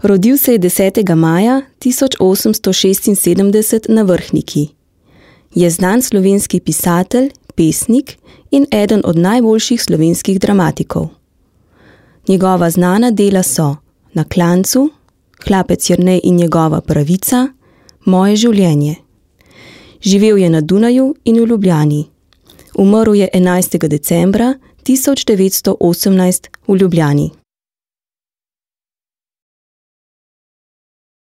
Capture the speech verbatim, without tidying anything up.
Rodil se je desetega maja tisoč osemsto šestinsedemdeset na Vrhniki. Je znan slovenski pisatelj, pesnik in eden od najboljših slovenskih dramatikov. Njegova znana dela so Na klancu, Hlapec Jernej in njegova pravica, Moje življenje. Živel je na Dunaju in v Ljubljani. Umrl je enajstega decembra tisoč devetsto osemnajst v Ljubljani.